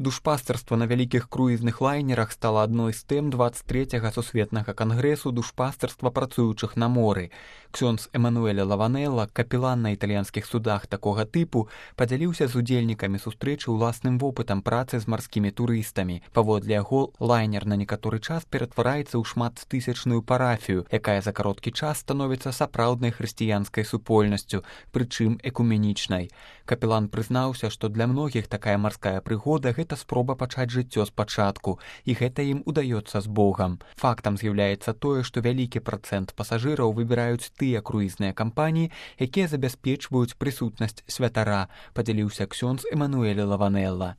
Душпастарства на вялікіх круізных лайнерах стала адной з тэм 23-га сусветнага кангрэсу душпастарства працуючых на моры. Ксёндз Эмануэль Лаванелла, капелан на італьянскіх судах такога тыпу, падзяліўся з удзельнікамі сустрэчы ўласным вопытам працы з марскімі турыстамі. Паводле яго, лайнер на некаторы час ператвараецца ў шматтысячную парафію, якая за кароткі час становіцца сапраўднай хрысціянскай супольнасцю, прычым экуменічнай. Капелан прызнаўся, што для многіх такая марская прыгода – гэта спроба пачаць жыццё спачатку, і гэта ім удаецца з Богам. Фактам з'яўляецца тое, што вялікі працэнт пасажыраў выбіраюць тыя круізныя кампаніі, якія забяспечваюць прысутнасць святара, падзяліўся ксёндз Эмануэль Лаванелла.